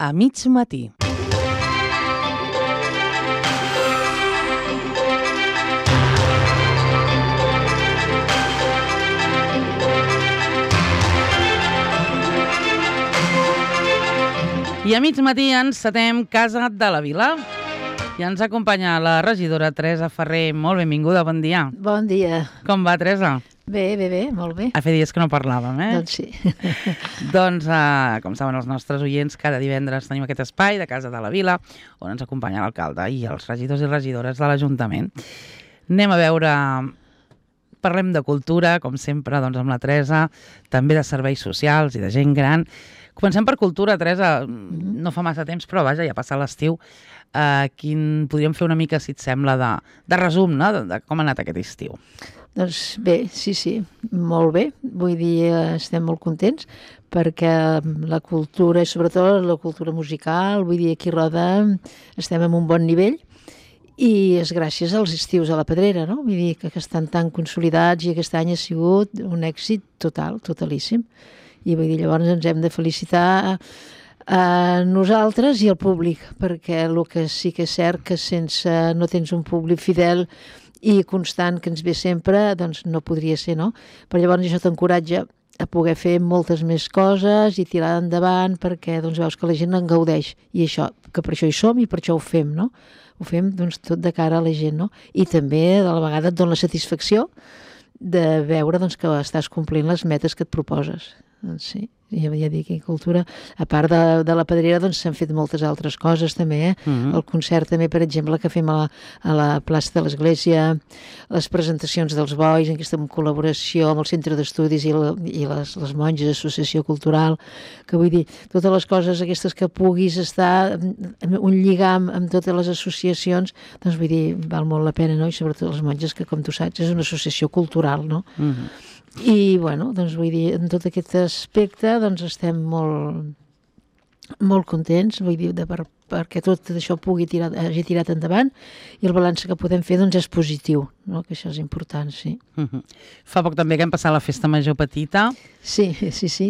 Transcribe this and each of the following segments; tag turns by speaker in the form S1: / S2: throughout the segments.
S1: a mig matí. I a mig matí encetem Casa de la Vila. I ens acompanya la regidora Teresa Ferrer. Molt benvinguda, bon dia.
S2: Bon dia.
S1: Com va, Teresa?
S2: Bé, molt bé.
S1: Fa dies que no parlàvem,
S2: Doncs sí.
S1: Doncs, com saben els nostres oients, cada divendres tenim aquest espai de Casa de la Vila on ens acompanya l'alcalde i els regidors i regidores de l'Ajuntament. Anem a veure... Parlem de cultura, com sempre, doncs, amb la Teresa, també de serveis socials i de gent gran. Comencem per cultura, Teresa. No fa massa temps, però vaja, ja passa l'estiu. Podríem fer una mica, si et sembla, de resum, no? De com ha anat aquest estiu.
S2: Doncs bé, sí, molt bé. Vull dir, estem molt contents perquè la cultura, i sobretot la cultura musical, vull dir, aquí a Roda estem en un bon nivell i és gràcies als estius a la Pedrera, no? Vull dir que estan tan consolidats i aquest any ha sigut un èxit total, totalíssim. I vull dir, llavors ens hem de felicitar a nosaltres i al públic, perquè el que sí que és cert que sense no tens un públic fidel i constant que ens ve sempre, doncs no podria ser, no? Però llavors això t'encoratja a poder fer moltes més coses i tirar endavant perquè doncs, veus que la gent en gaudeix i això, que per això hi som i per això ho fem, no? Ho fem doncs, tot de cara a la gent, no? I també de la vegada et dona la satisfacció de veure doncs, que estàs complint les metes que et proposes. Doncs sí, ja dic, en cultura, a part de la Pedrera, doncs s'han fet moltes altres coses també, El concert també, per exemple, que fem a la plaça de l'Església, les presentacions dels bois, en aquesta col·laboració amb el Centre d'Estudis i les monges, Associació Cultural, que vull dir, totes les coses aquestes que puguis estar un lligam amb totes les associacions, doncs vull dir, val molt la pena, no? I sobretot les monges, que com tu saps és una associació cultural, no? I, bueno, doncs vull dir, en tot aquest aspecte, doncs estem molt contents, vull dir, perquè tot això hagi tirat endavant i el balanç que podem fer, doncs, és positiu, no? Que això és important, sí.
S1: Fa poc també que hem passat la Festa Major Petita.
S2: Sí,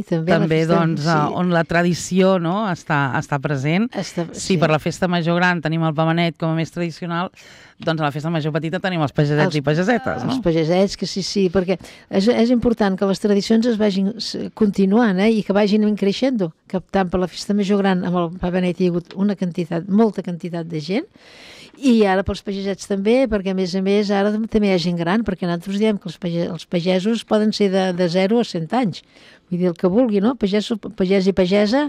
S2: també.
S1: També, doncs, on la tradició, no?, està present. Sí, per la Festa Major Gran tenim el Pavanet com a més tradicional, doncs a la Festa Major Petita tenim els pagesets i pagesetes, no?
S2: Els pagesets, que sí, perquè és important que les tradicions es vagin continuant, i que vagin creixent, que tant per la Festa Major Gran amb el Pavanet hi ha hagut molta quantitat de gent, i ara pels pagesets també, perquè a més ara també hi ha gent gran, perquè nosaltres diem que els pagesos poden ser de 0 a 100 anys. Vull dir, el que vulgui, no? Pagès i pagesa,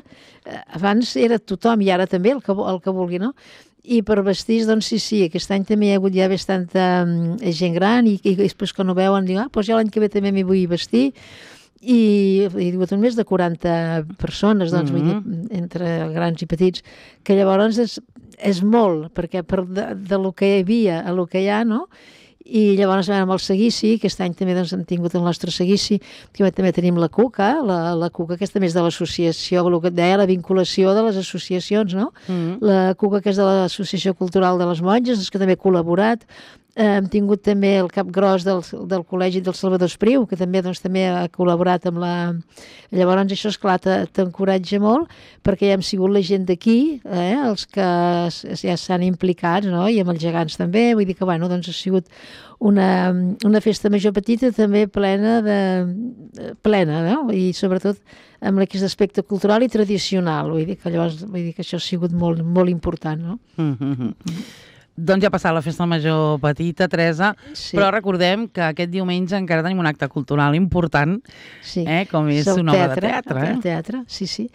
S2: abans era tothom, i ara també el que vulgui, no? I per vestits, doncs sí, aquest any també hi ha hagut ja bastanta gent gran i després quan ho veuen diuen, doncs jo l'any que ve també m'hi vull vestir, i hi ha hagut més de 40 persones, doncs vull dir, entre grans i petits, que llavors és molt, perquè de lo que hi havia a lo que hi ha, no? I llavors vam amb el seguici, aquest any també doncs, hem tingut el nostre seguici, que també tenim la Cuca, la Cuca aquesta més de l'associació, el que et deia, la vinculació de les associacions, no? La Cuca, que és de l'Associació Cultural de les Monges, que també ha col·laborat. Hem tingut també el cap gros del Col·legi del Salvador Espriu, que també ha col·laborat amb la... Llavors això, esclar, t'encoratja molt, perquè ja hem sigut la gent d'aquí, els que ja s'han implicat, no? I amb els gegants també, vull dir que, bueno, doncs ha sigut una festa major petita també plena, no? I sobretot amb aquest aspecte cultural i tradicional, vull dir que això ha sigut molt, molt important, no?
S1: Doncs ja ha passat la Festa Major Petita, Teresa, però recordem que aquest diumenge encara tenim un acte cultural important, com és una obra de teatre.
S2: El teatre, sí.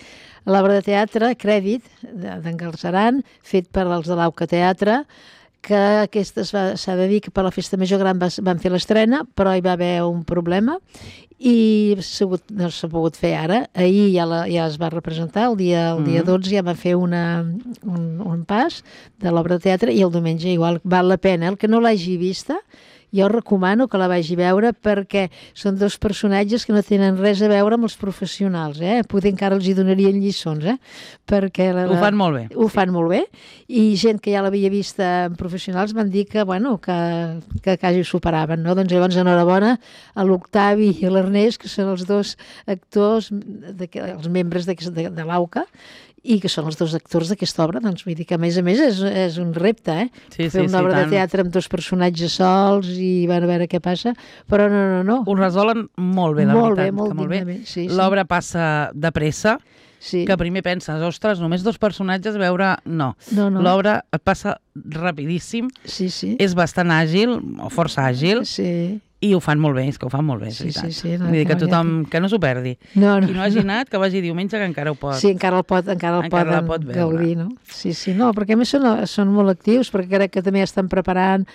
S2: L'obra de teatre, Crèdit, d'en Galceran, fet per els de l'Auca Teatre, que s'ha de dir que per la Festa Major Gran van fer l'estrena, però hi va haver un problema i no s'ha pogut fer ara. Ahir ja es va representar, el dia 12 ja va fer un pas de l'obra de teatre i el diumenge igual val la pena. El que no l'hagi vista, jo recomano que la vagi a veure perquè són dos personatges que no tenen res a veure amb els professionals, Poder encara els hi donarien lliçons, perquè
S1: ho fan molt bé.
S2: Ho fan molt bé, i gent que ja l'havia vista en professionals van dir que, bueno, que quasi ho superaven, no? Doncs llavors enhorabona a l'Octavi i a l'Ernest, que són els dos actors, els membres de l'AUCA, i que són els dos actors d'aquesta obra, doncs vull dir que a més és un repte,
S1: Sí,
S2: fer una obra
S1: tant.
S2: de teatre amb dos personatges sols i van a veure què passa, però no.
S1: Ho resolen molt bé, la veritat.
S2: Molt
S1: bé.
S2: dignament, sí.
S1: L'obra passa de pressa,
S2: Sí.
S1: que primer penses, ostres, només dos personatges, veure... No. L'obra et passa rapidíssim,
S2: Sí.
S1: és bastant àgil, o força àgil,
S2: Sí.
S1: i ho fan molt bé, és que ho fan molt bé, és veritat.
S2: Sí.
S1: Vull dir que tothom, que no s'ho perdi.
S2: No.
S1: Qui no hagi anat, que vagi diumenge, que encara ho pot.
S2: Sí, encara el poden gaudir, no? Sí, no, perquè a més són molt actius, perquè crec que també estan preparant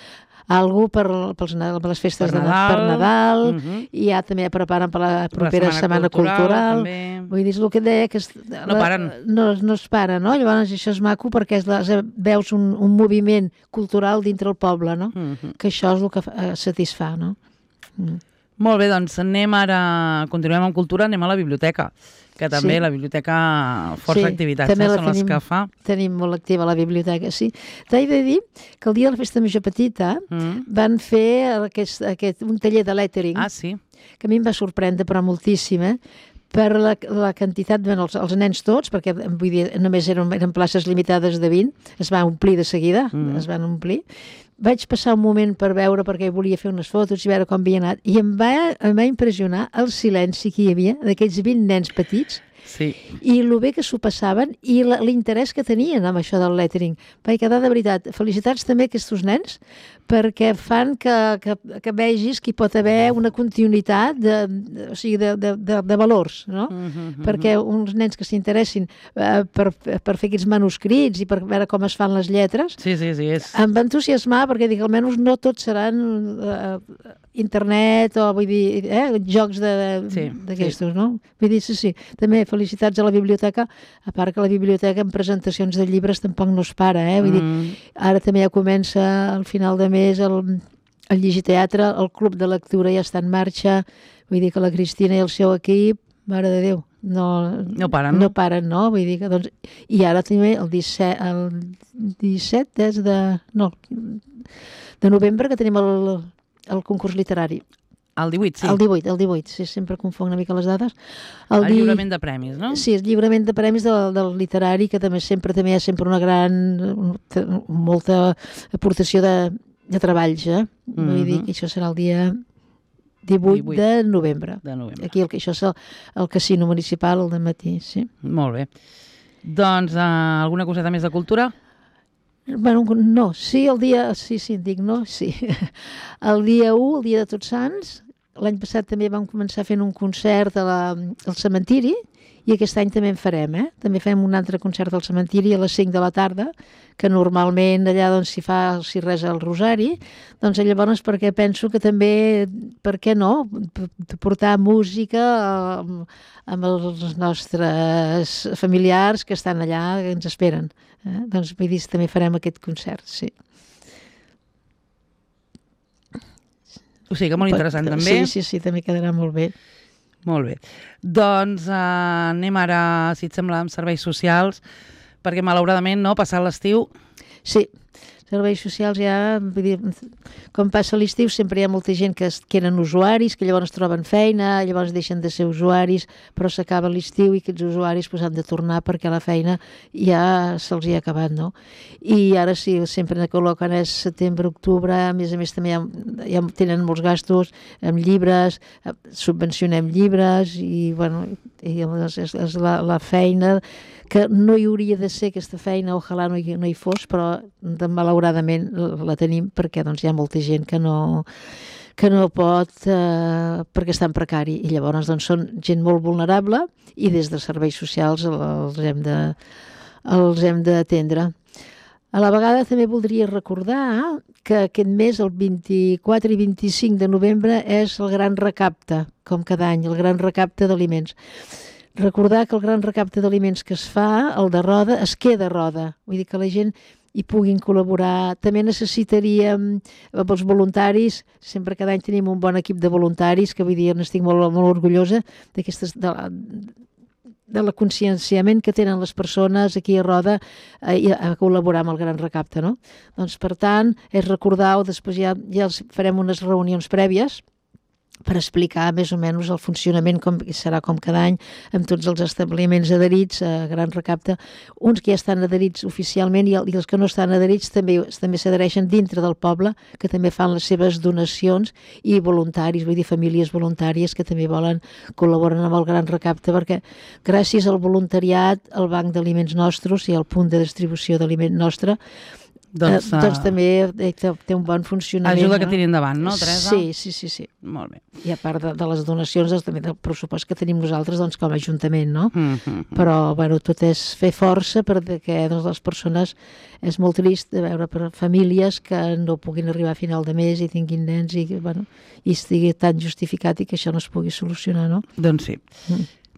S2: algú per les festes
S1: per
S2: Nadal, i ja també preparen per la propera Setmana Cultural. Vull dir, és el que et deia, que
S1: no paren.
S2: No es para, no? Llavors això és maco perquè veus un moviment cultural dintre el poble, no? Que això és el que satisfà, no?
S1: Molt bé, doncs continuem amb cultura, anem a la biblioteca, que també la biblioteca força activitats són les que fa.
S2: Tenim molt activa la biblioteca, sí. T'he de dir que el dia de la Festa Major Petita van fer un taller de lettering, que a mi em va sorprendre, però moltíssim, per la quantitat, els nens tots, perquè vull dir, només eren places limitades de 20, es va omplir de seguida, es van omplir. Vaig passar un moment per veure, perquè volia fer unes fotos i veure com havia anat, i em va impressionar el silenci que hi havia d'aquells 20 nens petits, i el bé que s'ho passaven i l'interès que tenien amb això del lettering. Vaig quedar de veritat. Felicitats també a aquests nens, perquè fan que vegis que hi pot haver una continuïtat de valors, no? Perquè uns nens que s'interessin per fer aquests manuscrits i per veure com es fan les lletres, em va entusiasmar, perquè dic, almenys no tots seran internet o, vull dir, jocs d'aquestos, no? Vull dir, sí. També felicitats a la biblioteca, a part que la biblioteca en presentacions de llibres tampoc no es para, vull dir, ara també ja comença al final de mes el llegiteatre, el club de lectura ja està en marxa, vull dir que la Cristina i el seu equip, mare de Déu, no paren, no? Vull dir que, doncs, i ara també el 17 és de novembre que tenim el concurs literari.
S1: El 18, sí.
S2: El 18, sí, sempre confonc una mica les dades.
S1: El lliurament de premis, no?
S2: Sí, el lliurament de premis del literari, que també hi ha sempre molta aportació de treballs, Vull dir que això serà el dia 18 de novembre. Aquí, això és el casino municipal, al dematí, sí.
S1: Molt bé. Doncs, alguna coseta més de cultura?
S2: Bueno, no, sí, el dia 1, el dia de Tots Sants, l'any passat també vam començar fent un concert al cementiri, i aquest any també en farem, També fem un altre concert al cementiri a les 5 de la tarda, que normalment allà s'hi resa el rosari, doncs llavors perquè penso que també, per què no, portar música amb els nostres familiars que estan allà, que ens esperen. Doncs vull dir, també farem aquest concert, sí.
S1: O sigui que molt interessant també.
S2: Sí, també quedarà molt bé.
S1: Molt bé. Doncs anem ara, si et sembla, amb serveis socials, perquè malauradament, no, passat l'estiu...
S2: Sí, serveis socials ja, vull dir, com passa l'estiu sempre hi ha molta gent que eren usuaris, que llavors troben feina, llavors deixen de ser usuaris, però s'acaba l'estiu i aquests usuaris han de tornar perquè la feina ja se'ls hi ha acabat, no? I ara sí, sempre col·loquen és setembre, octubre, a més també ja tenen molts gastos amb llibres, subvencionem llibres i, bueno, és la feina que no hi hauria de ser aquesta feina, ojalà no hi fos, però malauradament la tenim perquè hi ha molta gent que no pot perquè està en precari i llavors són gent molt vulnerable i des de serveis socials els hem d'atendre. A la vegada també voldria recordar que aquest mes, el 24 i 25 de novembre, és el gran recapte, com cada any, el gran recapte d'aliments. Recordar que el gran recapte d'aliments que es fa, el de Roda, es queda a Roda. Vull dir que la gent hi puguin col·laborar. També necessitaríem els voluntaris, sempre cada any tenim un bon equip de voluntaris, que vull dir, n'estic molt, molt orgullosa de la conscienciament que tenen les persones aquí a Roda a col·laborar amb el gran recapte, no? Doncs, per tant, és recordar-ho, després ja farem unes reunions prèvies per explicar més o menys el funcionament com serà com cada any amb tots els establiments adherits a Gran Recapte, uns que ja estan adherits oficialment i els que no estan adherits també s'adhereixen dintre del poble, que també fan les seves donacions, i voluntaris, vull dir famílies voluntàries que també col·laboren amb el Gran Recapte, perquè gràcies al voluntariat el Banc d'Aliments Nostres i el punt de distribució d'aliment nostre doncs també té un bon funcionament.
S1: Ajuda que tiri endavant, no, Teresa?
S2: Sí.
S1: Molt bé.
S2: I a part de les donacions, també del pressupost que tenim nosaltres com a Ajuntament, no? Però, bueno, tot és fer força perquè les persones és molt trist de veure per famílies que no puguin arribar a final de mes i tinguin nens i estigui tan justificat i que això no es pugui solucionar, no?
S1: Doncs sí.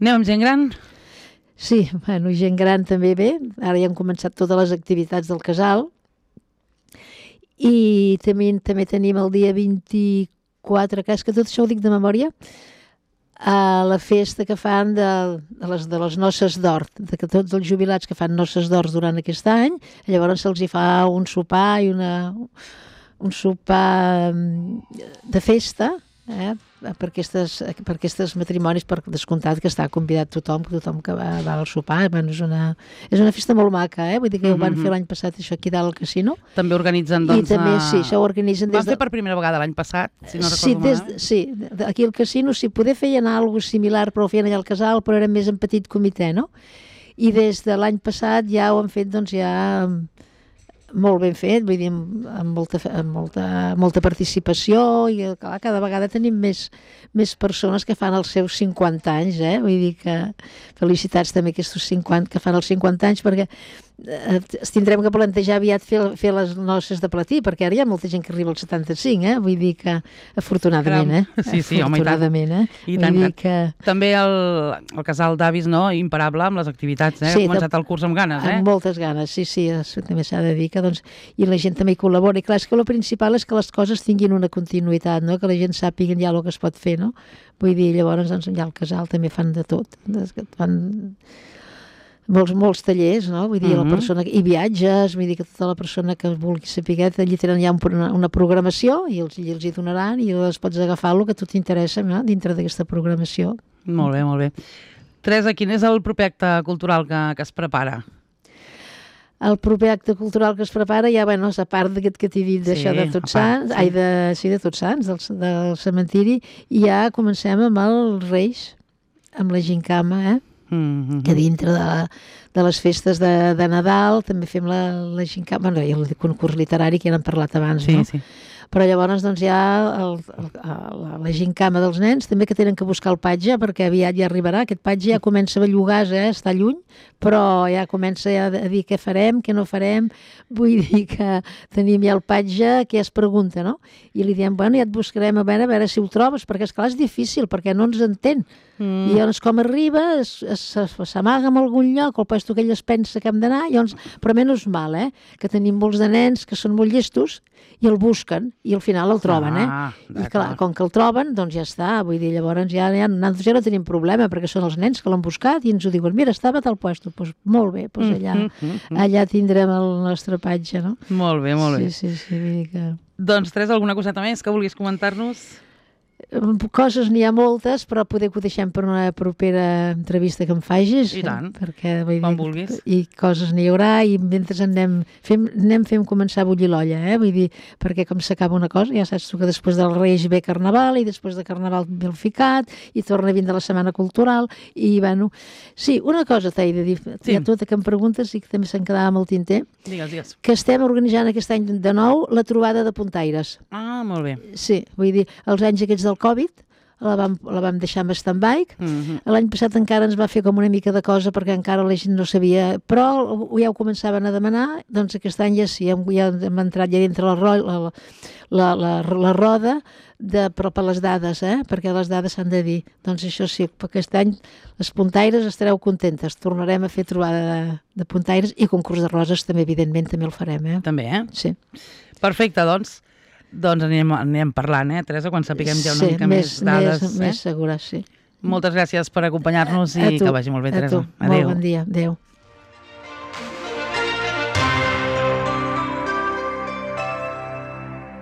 S1: Anem amb gent gran?
S2: Sí, bueno, gent gran també bé. Ara ja hem començat totes les activitats del casal. I també tenim el dia 24, que és que tot això ho dic de memòria, a la festa que fan de les noces d'or, que tots els jubilats que fan noces d'or durant aquest any, llavors se'ls hi fa un sopar i un sopar de festa, per aquests matrimonis, per descomptat que està convidat tothom que va al sopar. És una festa molt maca, vull dir que ho van fer l'any passat això aquí dalt al casino.
S1: També organitzen, doncs...
S2: I també, sí, això ho organitzen
S1: Van fer per primera vegada l'any passat, si no recordo malament.
S2: Sí, aquí al casino, sí, poder feien alguna cosa similar, però ho feien allà al casal, però era més en petit comitè, no? I des de l'any passat ja ho han fet, doncs ja... molt ben fet, vull dir, amb molta participació i clar, cada vegada tenim més persones que fan els seus 50 anys, vull dir que felicitats també aquests 50 que fan els 50 anys, perquè es tindrem que plantejar aviat fer les noces de platí, perquè ara hi ha molta gent que arriba als 75, vull dir que afortunadament,
S1: Sí, home, i tant. També el casal d'avis, no?, imparable amb les activitats, ha començat el curs amb ganes,
S2: amb moltes ganes, sí, també s'ha de dir que, doncs, i la gent també hi col·labora, i clar, és que el principal és que les coses tinguin una continuïtat, no?, que la gent sàpiga ja el que es pot fer, no?, vull dir, llavors, doncs, ja al casal també fan de tot, fan molts tallers, no? Vull dir, la persona, i viatges, vull dir que tota la persona que vulgui saber, allí tenen ja una programació i els hi donaran i les pots agafar el que a tu t'interessa, no?, dintre d'aquesta programació.
S1: Molt bé. Teresa, quin és el proper acte cultural que es prepara?
S2: El proper acte cultural que es prepara ja, és a part d'aquest que t'he dit d'això de Tots Sants, de Tots Sants, del cementiri, i ja comencem amb els Reis, amb la gincama, que dintre de les festes de Nadal també fem la gincama, i el concurs literari que ja n'hem parlat abans, no?
S1: Sí.
S2: Però llavors doncs hi ha la gincama dels nens, també que tenen que buscar el patge, perquè aviat ja arribarà, aquest patge ja comença a bellugar, està lluny, però ja comença a dir què farem, què no farem, vull dir que tenim ja el patge que ja es pregunta, no? I li diem, ja et buscarem a veure si ho trobes, perquè esclar és difícil, perquè no ens entén. I llavors com arriba, s'amaga en algun lloc, el puesto que ell es pensa que hem d'anar, però menys mal, que tenim molts de nens que són molt llestos i el busquen, i al final el troben, I clar, com que el troben, doncs ja està, vull dir, llavors ja no tenim problema, perquè són els nens que l'han buscat i ens ho diuen, mira, estava a tal puesto, doncs molt bé, allà tindrem el nostre patge, no?
S1: Molt bé.
S2: Sí, vull dir que...
S1: Doncs, Teresa, alguna coseta més que vulguis comentar-nos?
S2: Coses n'hi ha moltes, però poder que ho deixem per una propera entrevista que em facis.
S1: I tant,
S2: quan
S1: vulguis.
S2: I coses n'hi haurà, i mentre anem fent començar a bullir l'olla, vull dir, perquè com s'acaba una cosa, ja saps tu que després del Reis ve Carnaval, i després de Carnaval ve el Ficat, i torna a vindre la Setmana Cultural, i sí, una cosa t'he de dir, hi ha tota que em preguntes i que també se'n quedava amb el tinter.
S1: Digues.
S2: Que estem organitzant aquest any de nou la trobada de puntaires.
S1: Ah, molt bé.
S2: Sí, vull dir, els anys aquests del Covid la vam deixar en stand-by. L'any passat encara ens va fer com una mica de cosa perquè encara la gent no sabia, però ja ho començaven a demanar, doncs aquest any ja sí, ja hem entrat ja dintre la roda però per les dades, perquè les dades s'han de dir. Doncs això sí, aquest any les puntaires estareu contentes, tornarem a fer trobada de puntaires i concurs de roses també, evidentment, també el farem.
S1: També,
S2: Sí.
S1: Perfecte, doncs anirem parlant, Teresa, quan sapiguem ja una mica més dades.
S2: Més segura, sí.
S1: Moltes gràcies per acompanyar-nos i que vagi molt bé, Teresa.
S2: Molt bon dia. Adéu.